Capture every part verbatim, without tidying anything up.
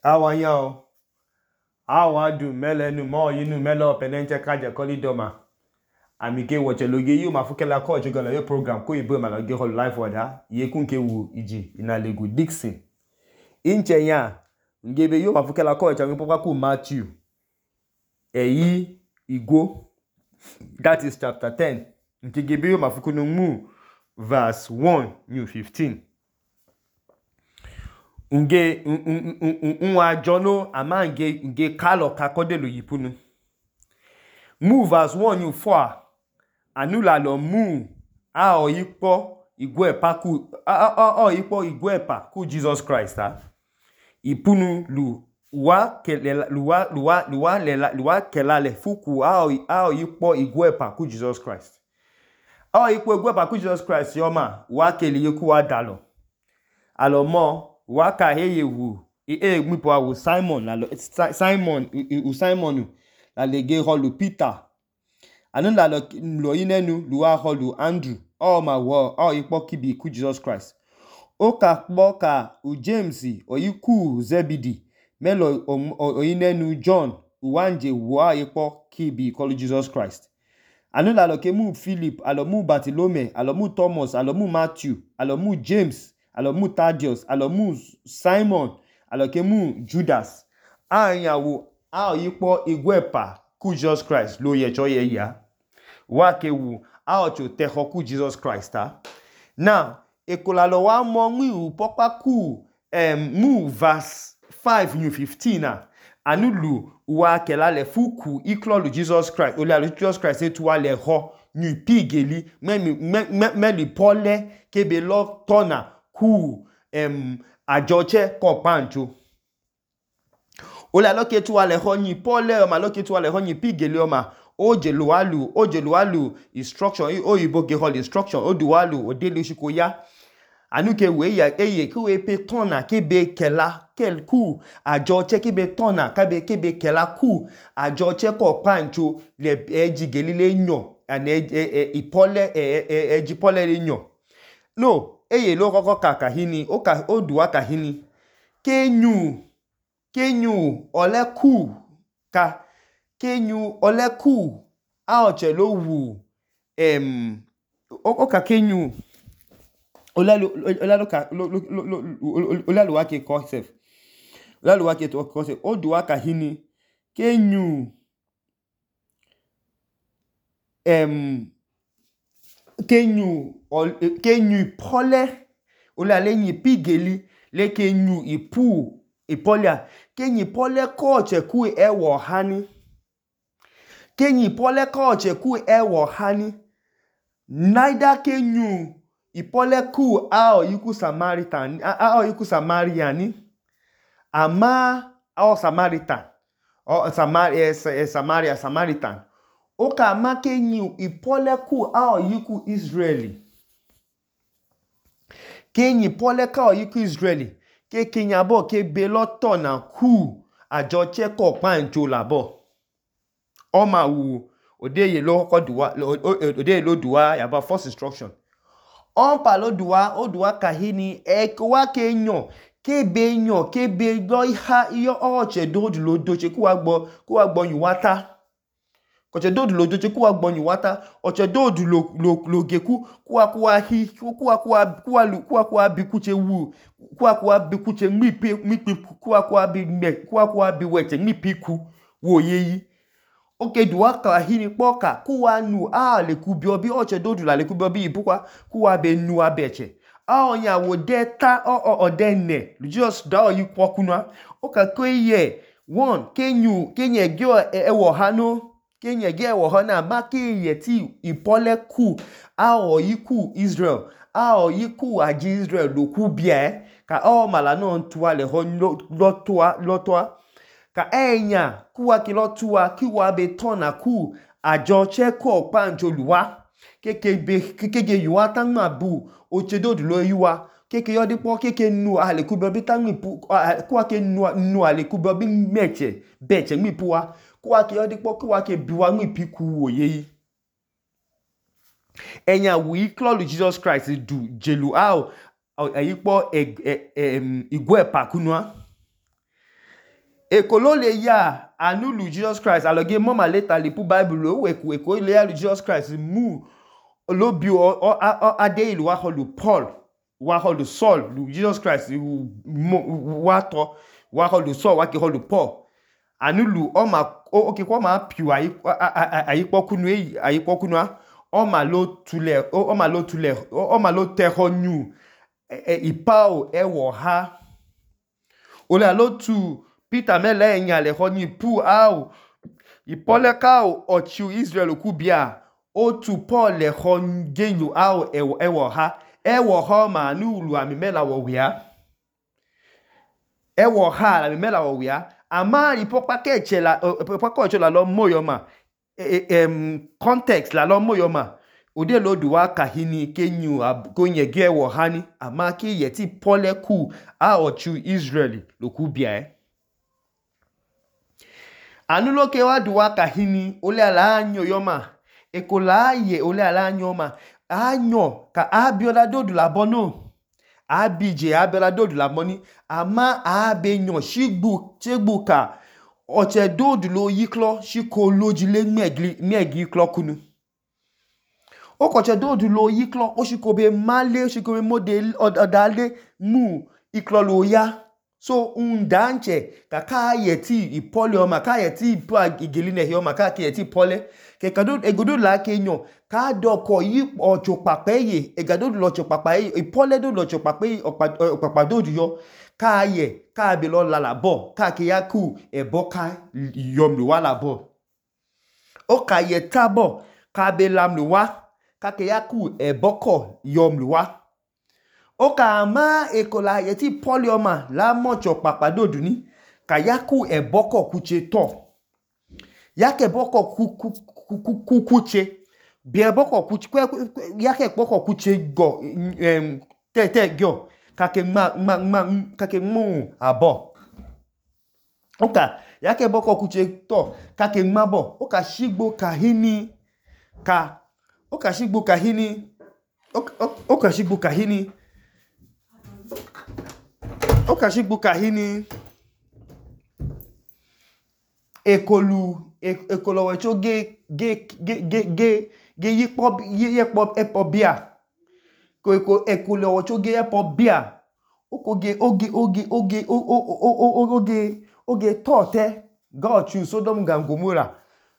Awa yao, awa du mele nu mo yinu mele openenche kaje koli doma. Amike wache loge yu mafukela ko chugala yo program ko ibo maloge hol life wada. Ye kunke wu iji inalegu Dixon. Inche ya, ngebe yu mafukela ko changu poka ku Matthew. Eyi igo. That is chapter ten. Nke gebe yu mafukunu mu verse one new fifteen. Nge nwa jono ama nge nge kalo kakodelo yipunu. Mu verse one new four. Anula lo mu a o yipo igwepa ku a a o yipo igwepa ku Jesus Christ ha. Ipunu lu wa kelela luwa luwa luwa lela luwa kelale fuku a o a o yipo igwepa ku Jesus Christ. A o yipo igwepa ku Jesus Christ yoma wa kele yoku wa dalo. Alo mo waka heye wu e gmipo awu Simon la Simon u Simon la lege holu Peter anu la lo lo inenu luwa holu Andrew o ma wo o ipo kibi ku Jesus Christ o ka kpo ka u James o yiku Zebedi melo o inenu John uwanje wo ipo kibi kolu Jesus Christ anu la lo ke mu Philip alo mu Bartholomew alo mu Thomas alo mu Matthew alo mu James alo mu Thaddeus, alo mu Simon, alo ke mu Judas. A yawo a yipo igwepa ku Jesus Christ lo ye cho ye ya. Wa ke wu a ocho teho ku Jesus Christ ha. Now, ekola lo wa mo nwi u popa ku um, mu verse five new fifteen na. Anulu wa kelale fuku iklolu Jesus Christ. Ole alo Jesus Christ etu wa le ho ni pigeli me me me, me li pole kebe lo tona ku em ajoche kompancho ola loke tu ale ho ni pole o ma loke tu ale ho ni pigele o ma oje lualu oje lualu instruction o yibo ge hol instruction o dualu o dele shiko ya anuke we ya eye ki we pe tona kebe kela kel ku ajoche kebe tona kabe kebe kela ku ajoche kompancho le eji gelile nyo and e ipole e eji pole le nyo no eye lo koko kaka hini o ka o duwa ka hini kenyu kenyu ole ku ka kenyu ole ku a oche lo wu em o ka kenyu olalu olalu ka olalu wa ke concept olalu wa ke to concept o duwa ka hini kenyu em kenyu kenyu pole ola lenyi pigeli le kenyu ipu ipolia kenyi pole koche ku ewo hani kenyi pole koche ku ewo hani neither kenyu ipole ku ao yiku Samaritan ao yiku Samariani ama ao Samaritan o Samaria Samaria Samaritan oka ma kenyu ipole ku ao yiku Israeli kenyi pole ka o yiku Israeli ke kenya bo ke be loto na ku ajoche ko pancho labo o ma wu odeye lo ko duwa odeye lo duwa ya ba first instruction on pa lo duwa o duwa kahini e ko wa kenyo ke be nyo ke be lo ha iyo oche do lo doche ku wa gbo ku wa gbo yuwata koche dodu lo doche kuwa gbonyu wata oche dodu lo lo lo geku kuwa kuwa hi kuwa kuwa kuwa lu kuwa kuwa bi kuche wu kuwa kuwa bi kuche mipi mipi kuwa kuwa bi me kuwa kuwa bi weche mipi ku wo yeyi oke duwa ka hini poka kuwa nu a le kubi obi oche dodu la le kubi obi ibukwa kuwa be nu abeche a onya wo deta o o odene just da o yikwo kunwa oka koye one kenyu kenye gyo ewo hano kenye ge wo hona ma kenye ti ipole ku a o yiku Israel a o yiku aji Israel lo ku bia ka o mala no ntua le ho lotua lotua ka enya kuwa ki lotua kiwa be tona ku ajo che ko panjo luwa keke be keke yuwa tan ma bu o chedodu lo yuwa keke yodi po keke nu ale ku bi tan mi pu kuwa ke nu nu ale ku bi meche beche mi puwa kuwa ke yodi po kuwa ke biwa mi piku oyeyi enya wi klolu Jesus Christ du jelu ao ayipo igwe pa kunwa ekolo le ya anu lu Jesus Christ aloge mama later le pu Bible o weku eko le ya lu Jesus Christ mu lo bi o ade ilu wa lu Paul wa lu Saul lu Jesus Christ wa to wa lu Saul wa ke lu Paul anu lu o ma o ke ko ma piu ayi ayi pokunu e ayi pokunu a o ma lo tule o ma lo tule o ma lo te honyu ipa o e wo ha o le lo tu Peter mele enya le honyu pu au ipole ka o ochu Israel ku bia o tu Paul le honyu au e e wo ha e wo ha ma nu lu ami mela wo wia e wo ha la mi mela wo wia ama ipopa ke chela ipopa ko chela lo moyo ma em context la lo moyo ma ode lo duwa kahini kenyu ko nyege wo hani ama ki yeti Paul ku a ochu Israel lo ku bia e anu lo ke wa duwa kahini ole ala anyo yoma ekola ye ole ala anyo ma anyo ka abiola dodu la bono abije abiola dodu la moni ama abenyo shigbu chegbu ka oche dodu lo yiklo shiko lojile megli megi klo kunu o koche dodu lo yiklo o shiko be male shiko be model odale mu iklo lo ya so undanche ka ka yeti ipole o ma ka yeti ipo igeline he o ma ka ke yeti pole ke kado egodo la kenyo ka doko yi ocho papeye egado lo ocho papaye ipole do lo ocho papaye opapado yo ka ye ka be lo la labo ka ke yaku eboka yomlu wa labo o ka ye tabo ka be lamlu wa ka ke yaku eboko yomlu wa o ka ma ekola yeti polioma la mocho papadodu ni ka yaku eboko kuche to yake boko ku kuche bi eboko kuche yake boko kuche go em te te gyo ka ke ma ma ka ke mu abo o ka yake boko kuche to ka ke ma bo o ka shigbo kahini ka o ka shigbo kahini o ka shigbo kahini o ka shigbo kahini ekolu ekolo wecho ge ge ge ge ge ge yipo yipo epo bia ko eko ekolo wecho ge epo bia okoge oge oge oge oge oge tote God choose Sodom and Gomorrah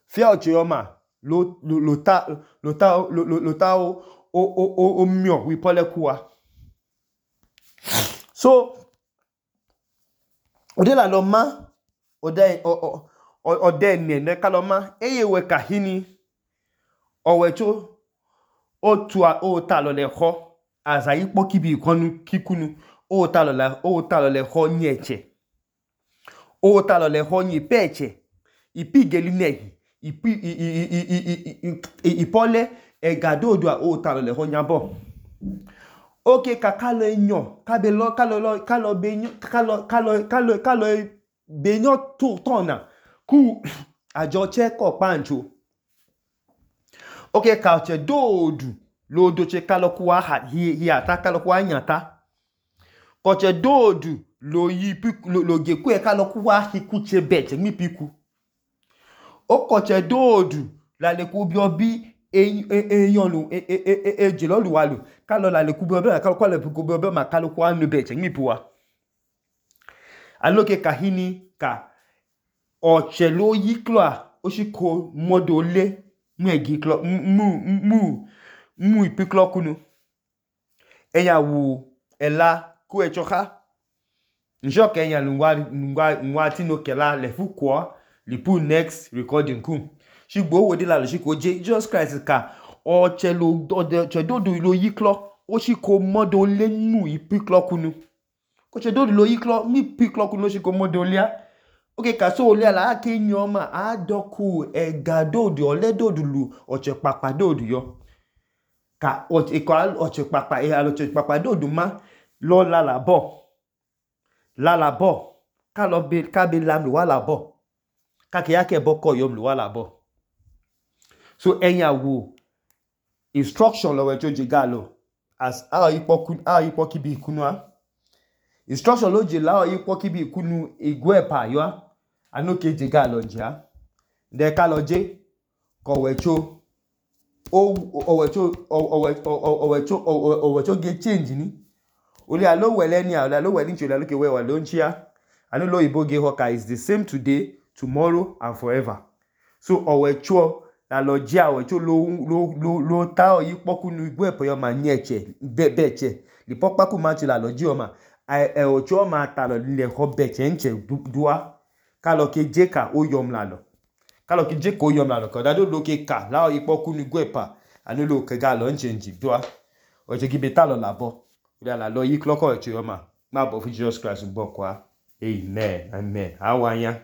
fia ochiyoma lo lo ta lo ta lo ta o o o mio wi pole kuwa so ode la lo ma ode o ode ne ne kaloma eye we kahini owecho o tu o ta lo le ho azayi poki bi konu kikunu o ta lo la o ta lo le ho nyeche o ta lo le ho nyi peche ipi geline ipi ipole egadodo o ta lo le ho nyabo oke kakalo enyo kabelo kalo kalo benyo kalo kalo kalo kalo benyo to tona ku ajo che ko pancho oke ka che dodu lo do che kalo kwa ha hi hi ata kalo kwa nyata ko che dodu lo yi piku lo ge ku e kalo kwa hi ku che beche mi piku o ko che dodu la le ku bi obi eyan lu eje lo lu wa lu kalo la le ku bi obi kalo kwa le ku bi obi ma kalo kwa nu beche mi puwa aloke kahini ka oche lo yiklo a o shiko modo le megi klo mu mu mu ipiklo kunu eya wu ela ku echoka njo ke eya lungwa lungwa nwa tino kela le fukwo li pu next recording ku shigbo wo de la lo shiko je Jesus Christ ka oche lo oche dodo lo yiklo o shiko modo le mu ipiklo kunu ko che dodo lo yiklo mi piklo kunu shiko modo le oke ka so ole ala ke nyoma adoku egadodo ole dodo lu oche papa dodo yo ka oche ko oche papa e alo oche papa dodo ma lo la la bo la la bo ka lo be ka be lam lu wa la bo ka ke yake boko yom lu wa la bo so enya wo instruction lo we joje galo as a ipoku a ipoki bi kunu a instruction lo je la ipoki bi kunu igwe pa yo anu ke je ga lo njia de ka lo je ko wecho o owecho owecho owecho ge change ni oli alo wele ni ala lo wele nchi ala ke we wa lo nchia anu lo ibo ge hoka is the same today, tomorrow and forever. So owecho la lo je owecho lo lo lo lo ta oyi poku nu igwe po yo ma nyeche be beche li pokpa ku ma chi la lo je o ma e ocho ma ta lo le ho beche nche dua ka lo ke je ka o yom la lo ka lo ke je ko yom la lo ko da do lo ke ka la oyi poku nu igwe pa anu lo ke ga lo nche nji dua o je ki be ta lo la bo ya la lo yi kloko ocho yo ma ma bo fu Jesus Christ bo kwa amen amen awanya